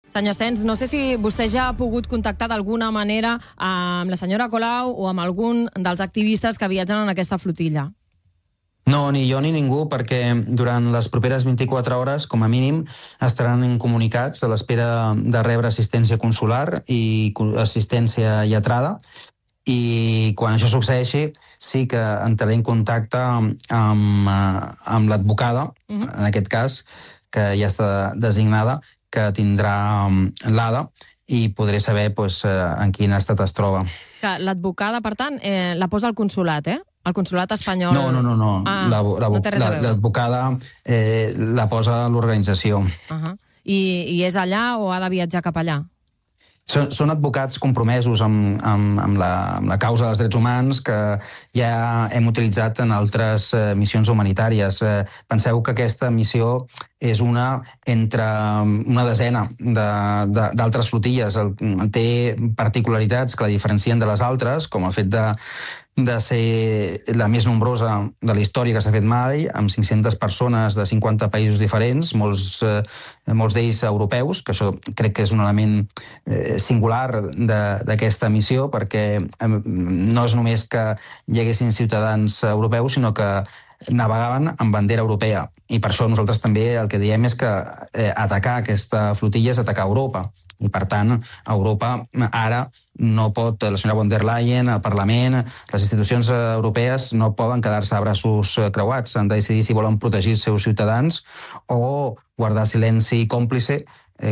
Senyor Sens, no sé si vostè ja ha pogut contactar d'alguna manera amb la senyora Colau o amb algun dels activistes que viatgen en aquesta flotilla. No, ni jo ni ningú, perquè durant les properes 24 hores, com a mínim, estaran comunicats a l'espera de rebre assistència consular i assistència lletrada. I quan això succeeixi, sí que entraré en contacte amb l'advocada, en aquest cas, que ja està designada, que tindrà l'ADA, i podré saber en quin estat es troba. L'advocada, per tant, la posa al consulat, El consulat espanyol... No. L'advocada la posa a l'organització. I és allà o ha de viatjar cap allà? Són advocats compromesos amb la causa dels drets humans que ja hem utilitzat en altres missions humanitàries. Penseu que aquesta missió és una entre una desena d'altres flotilles. Té particularitats que la diferencien de les altres, com el fet de ser la més nombrosa de la història que s'ha fet mai, amb 500 persones de 50 països diferents, molts d'ells europeus, que això crec que és un element singular d'aquesta missió, perquè no és només que hi haguessin ciutadans europeus, sinó que navegaven amb bandera europea. I per això nosaltres també el que diem és que atacar aquesta flotilla és atacar Europa. I, per tant, Europa ara no pot, la senyora von der Leyen, el Parlament, les institucions europees no poden quedar-se a braços creuats. Han de decidir si volen protegir els seus ciutadans o guardar silenci còmplice,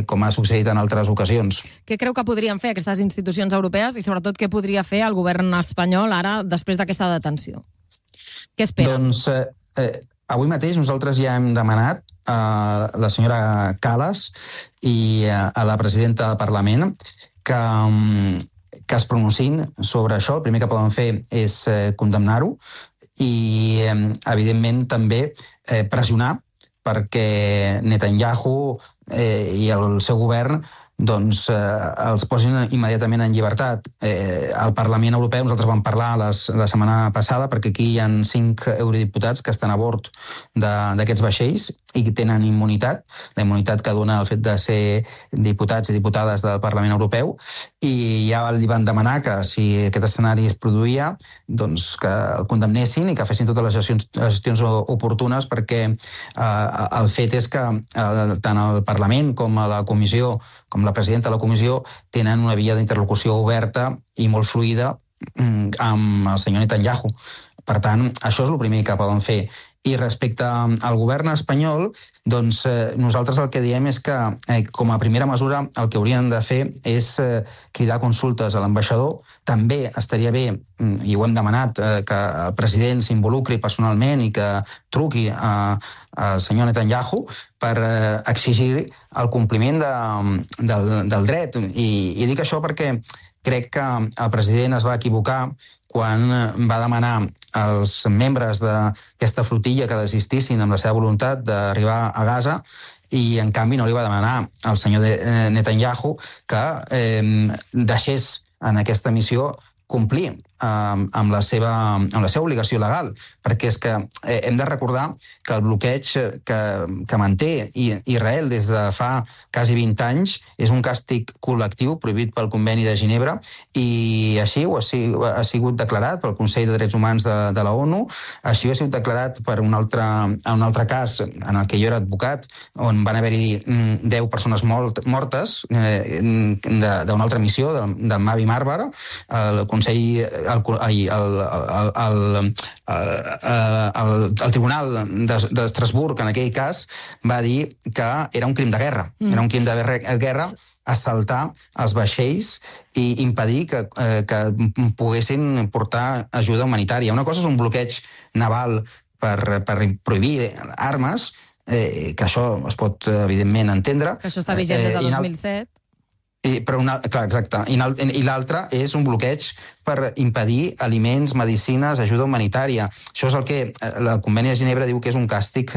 com ha succeït en altres ocasions. Què creu que podrien fer aquestes institucions europees i, sobretot, què podria fer el govern espanyol ara després d'aquesta detenció? Què espera? Doncs avui mateix nosaltres ja hem demanat a la senyora Kallas i a la presidenta del Parlament que es pronunciïn sobre això. El primer que poden fer és condemnar-ho i, evidentment, també pressionar perquè Netanyahu i el seu govern els posin immediatament en llibertat. Al Parlament Europeu nosaltres vam parlar la setmana passada perquè aquí hi ha 5 eurodiputats que estan a bord d'aquests vaixells i que tenen immunitat, la immunitat que dona el fet de ser diputats i diputades del Parlament Europeu, i ja li van demanar que si aquest escenari es produïa, doncs que el condemnessin i que fessin totes les gestions oportunes, perquè el fet és que tant el Parlament com la Comissió, com la presidenta de la Comissió, tenen una via d'interlocució oberta i molt fluida amb el senyor Netanyahu. Per tant, això és el primer que poden fer. I respecte al govern espanyol, doncs nosaltres el que diem és que, com a primera mesura, el que haurien de fer és cridar consultes a l'ambaixador. També estaria bé, i ho hem demanat, que el president s'involucri personalment i que truqui al senyor Netanyahu per exigir el compliment del dret. I dic això perquè crec que el president es va equivocar quan va demanar als membres d'aquesta flotilla que desistissin amb la seva voluntat d'arribar a Gaza, i en canvi no li va demanar al senyor Netanyahu que deixés en aquesta missió complir amb la seva obligació legal, perquè és que hem de recordar que el bloqueig que manté Israel des de fa quasi 20 anys és un càstig col·lectiu prohibit pel Conveni de Ginebra, i així ho ha sigut declarat pel Consell de Drets Humans de la ONU, així ho ha sigut declarat per un altre cas en el que jo era advocat, on van haver-hi 10 persones mortes d'una altra missió, del Mavi Marmara. El Consell, el Tribunal d'Estrasburg, en aquell cas, va dir que era un crim de guerra. Era un crim de guerra assaltar els vaixells i impedir que poguessin portar ajuda humanitària. Una cosa és un bloqueig naval per prohibir armes, que això es pot, evidentment, entendre. Que això està vigent des de 2007. Clar, exacte. I l'altre és un bloqueig per impedir aliments, medicines, ajuda humanitària. Això és el que la Conveni de Ginebra diu que és un càstig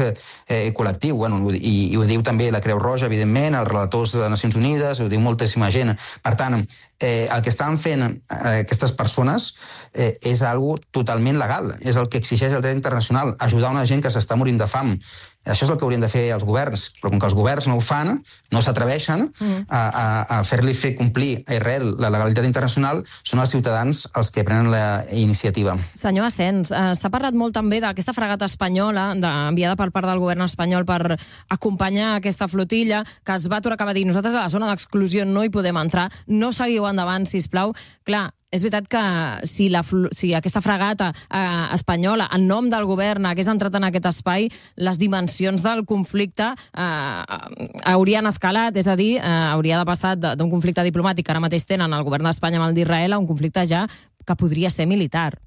col·lectiu, i ho diu també la Creu Roja, evidentment, els relators de Nacions Unides, ho diu moltíssima gent. Per tant, el que estan fent aquestes persones és algo totalment legal, és el que exigeix el dret internacional, ajudar una gent que s'està morint de fam. Això és el que haurien de fer els governs, però com que els governs no ho fan, no s'atreveixen a fer-li fer complir a Israel la legalitat internacional, són els ciutadans els que prenen la iniciativa. Senyor Asens, s'ha parlat molt també d'aquesta fragata espanyola enviada per part del govern espanyol per acompanyar aquesta flotilla, que es va aturar, acaba de dir, nosaltres a la zona d'exclusió no hi podem entrar, no seguiu endavant, sisplau. Clar, és veritat que si aquesta fragata espanyola, en nom del govern, hagués entrat en aquest espai, les dimensions del conflicte haurien escalat, és a dir, hauria de passar d'un conflicte diplomàtic que ara mateix tenen el govern d'Espanya amb el d'Israel a un conflicte ja que podria ser militar.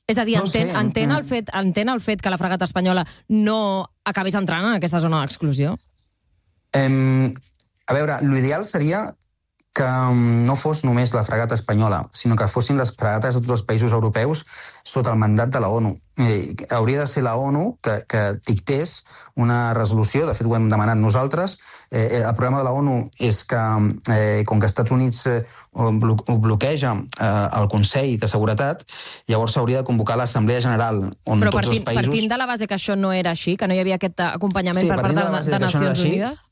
És a dir, entén el fet que la fragata espanyola no acabés entrant en aquesta zona d'exclusió? A veure, l'ideal seria que no fos només la fragata espanyola, sinó que fossin les fragates de tots els països europeus sota el mandat de la ONU. Hauria de ser la ONU que dictés una resolució, de fet ho hem demanat nosaltres. El problema de la ONU és que, com que els Estats Units ho bloqueja el Consell de Seguretat, llavors s'hauria de convocar l'Assemblea General, on però tots els països... Però partint de la base que això no era així, que no hi havia aquest acompanyament per part de Nacions Unides?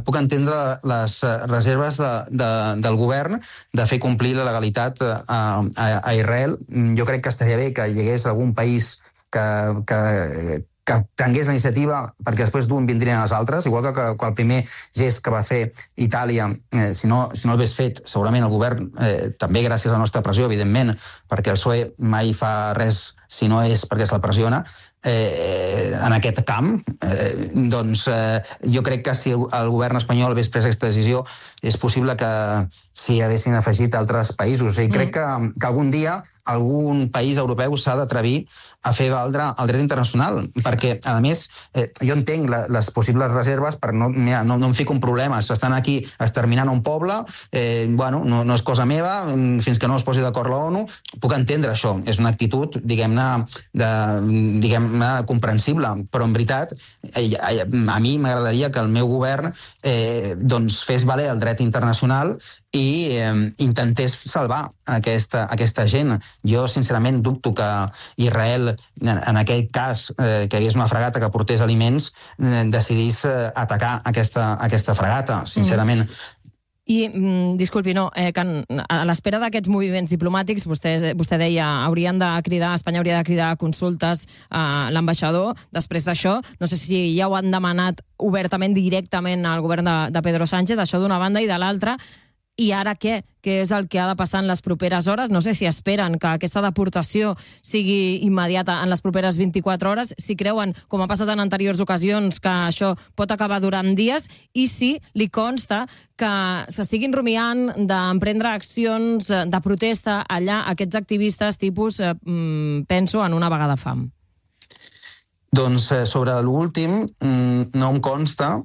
Puc entendre les reserves del govern de fer complir la legalitat a Israel. Jo crec que estaria bé que hi hagués algun país que prengués la iniciativa, perquè després d'un vindrien els altres, igual que el primer gest que va fer Itàlia, si no l'hagués fet, segurament el govern, també gràcies a la nostra pressió, evidentment, perquè el PSOE mai fa res si no és perquè se la pressiona, en aquest camp, doncs jo crec que si el govern espanyol hagués pres aquesta decisió, és possible que s'hi haguessin afegit altres països. I crec que algun dia algun país europeu s'ha d'atrevir a fer valdre el dret internacional, perquè, a més, jo entenc les possibles reserves, però no em fico en problemes. Estan aquí exterminant un poble, no és cosa meva, fins que no es posi d'acord la ONU, puc entendre això. És una actitud, diguem-ne, comprensible, però en veritat a mi m'agradaria que el meu govern fes valer el dret internacional i intentés salvar aquesta gent. Jo, sincerament, dubto que Israel, en aquell cas, que hi hagués una fragata que portés aliments, decidís atacar aquesta fragata, sincerament. I, disculpi, que a l'espera d'aquests moviments diplomàtics, vostè deia, Espanya hauria de cridar consultes a l'ambaixador. Després d'això, no sé si ja ho han demanat obertament, directament al govern de Pedro Sánchez, això d'una banda, i de l'altra. I ara què? Què és el que ha de passar en les properes hores? No sé si esperen que aquesta deportació sigui immediata en les properes 24 hores, si creuen, com ha passat en anteriors ocasions, que això pot acabar durant dies, i si li consta que s'estiguin rumiant d'emprendre accions de protesta allà aquests activistes tipus, penso, en una vaga de fam. Doncs sobre l'últim no em consta,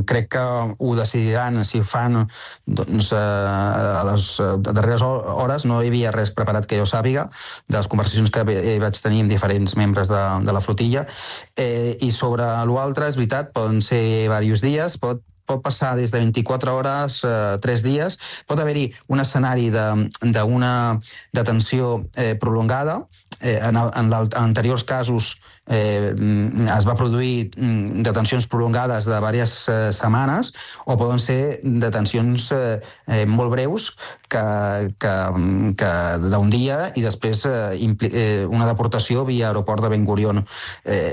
crec que ho decidiran si fan a les darreres hores. No hi havia res preparat que jo sàpiga de les conversacions que vaig tenir amb diferents membres de la flotilla, i sobre l'altre, és veritat, poden ser diversos dies, pot passar des de 24 hores, 3 dies. Pot haver-hi un escenari d'una detenció prolongada. En anteriors casos es va produir detencions prolongades de diverses setmanes, o poden ser detencions molt breus que d'un dia i després una deportació via aeroport de Ben Gurion.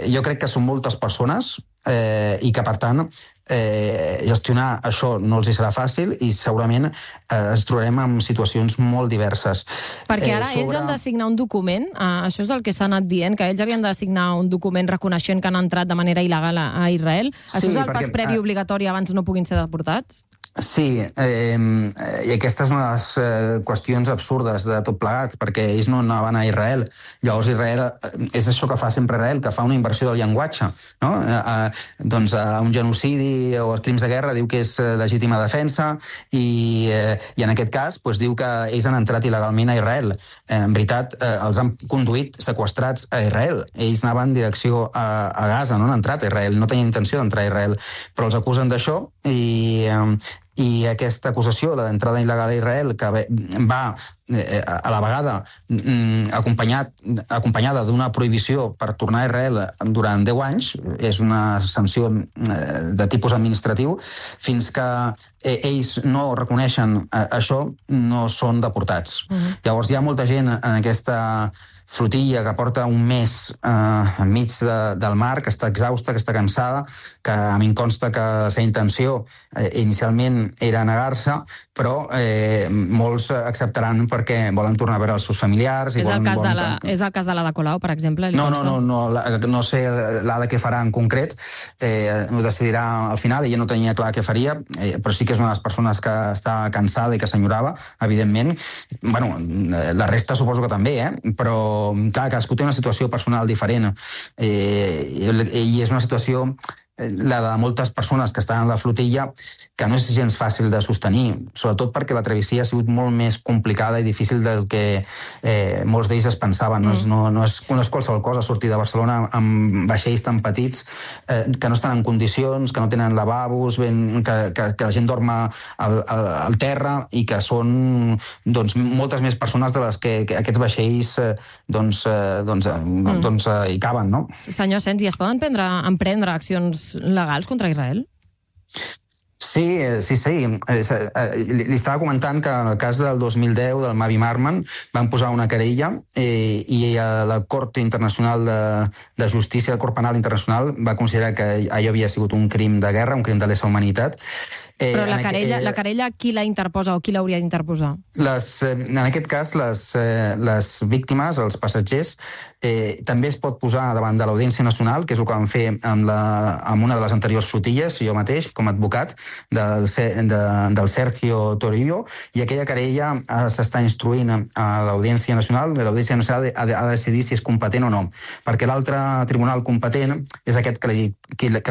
Jo crec que són moltes persones i que, per tant, gestionar això no els serà fàcil i segurament ens trobarem en situacions molt diverses. Perquè ara ells han de signar un document, això és el que s'ha anat dient, que ells havien de signar un document reconeixent que han entrat de manera il·legal a Israel. Això és el pas previ obligatori abans no puguin ser deportats? Sí, i aquesta és una de les qüestions absurdes de tot plegat, perquè ells no anaven a Israel. Llavors Israel, és això que fa sempre Israel, que fa una inversió del llenguatge, no? Doncs un genocidi o els crims de guerra diu que és legítima defensa i en aquest cas doncs, diu que ells han entrat il·legalment a Israel. En veritat, els han conduït seqüestrats a Israel. Ells anaven en direcció a Gaza, no han entrat a Israel, no tenien intenció d'entrar a Israel, però els acusen d'això i aquesta acusació, la d'entrada il·legal a Israel, que va a la vegada acompanyada d'una prohibició per tornar a Israel durant 10 anys, és una sanció de tipus administratiu, fins que ells no reconeixen això, no són deportats. Llavors hi ha molta gent en aquesta flotilla que porta un mes enmig del mar, que està exhausta, que està cansada, que a mi em consta que la seva intenció inicialment era negar-se, però molts acceptaran perquè volen tornar a veure els seus familiars. És el cas de l'Ada Colau, per exemple? No sé l'Ada què farà en concret, ho decidirà al final, ella no tenia clar què faria, però sí que és una de les persones que està cansada i que s'enyorava, evidentment. Bueno, la resta suposo que també, però clar, cadascú té una situació personal diferent i és una situació, la de moltes persones que estan en la flotilla, que no és gens fàcil de sostenir, sobretot perquè la travessia ha sigut molt més complicada i difícil del que molts d'ells es pensaven. No és qualsevol cosa sortir de Barcelona amb vaixells tan petits que no estan en condicions, que no tenen lavabos, que la gent dorma al terra i que són moltes més persones de les que aquests vaixells hi caben, no? Senyor Asens, i es poden emprendre accions legals contra Israel? Sí. Li estava comentant que en el cas del 2010 del Mavi Marman van posar una querella i la Cort Internacional de Justícia, el Cort Penal Internacional, va considerar que allò havia sigut un crim de guerra, un crim de lesa humanitat. Però la querella qui la interposa o qui l'hauria d'interposar? En aquest cas, les víctimes, els passatgers, també es pot posar davant de l'Audiència Nacional, que és el que van fer amb una de les anteriors flotilles, jo mateix, com a advocat, del Sergio Torillo, i aquella querella s'està instruint a l'Audiència Nacional. L'Audiència Nacional ha de decidir si és competent o no, perquè l'altre tribunal competent és aquest que li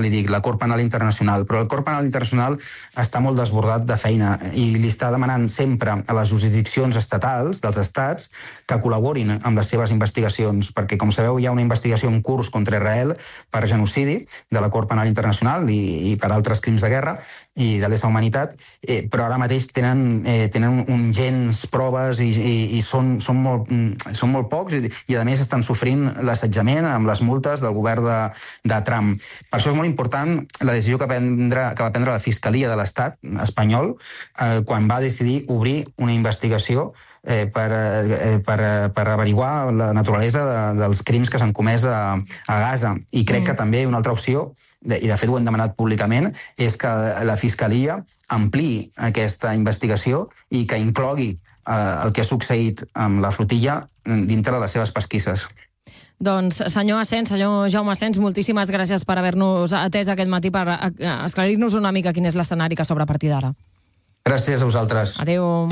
dic, la Cort Penal Internacional, però el Cort Penal Internacional està molt desbordat de feina i li està demanant sempre a les jurisdiccions estatals dels estats que col·laborin amb les seves investigacions, perquè, com sabeu, hi ha una investigació en curs contra Israel per genocidi de la Cort Penal Internacional i per altres crims de guerra i de lesa humanitat, però ara mateix tenen gens proves i són molt pocs i a més estan sofrint l'assetjament amb les multes del govern de Trump. Per això és molt important la decisió que va prendre la Fiscalia de l'Estat espanyol quan va decidir obrir una investigació per averiguar la naturalesa dels crims que s'han comès a Gaza. I crec que també una altra opció, i de fet ho hem demanat públicament, és que la Fiscalia ampliï aquesta investigació i que inclogui el que ha succeït amb la flotilla dintre de les seves pesquisses. Doncs, senyor Jaume Asens, moltíssimes gràcies per haver-nos atès aquest matí, per esclarir-nos una mica quin és l'escenari que s'obre a partir d'ara. Gràcies a vosaltres. Adéu.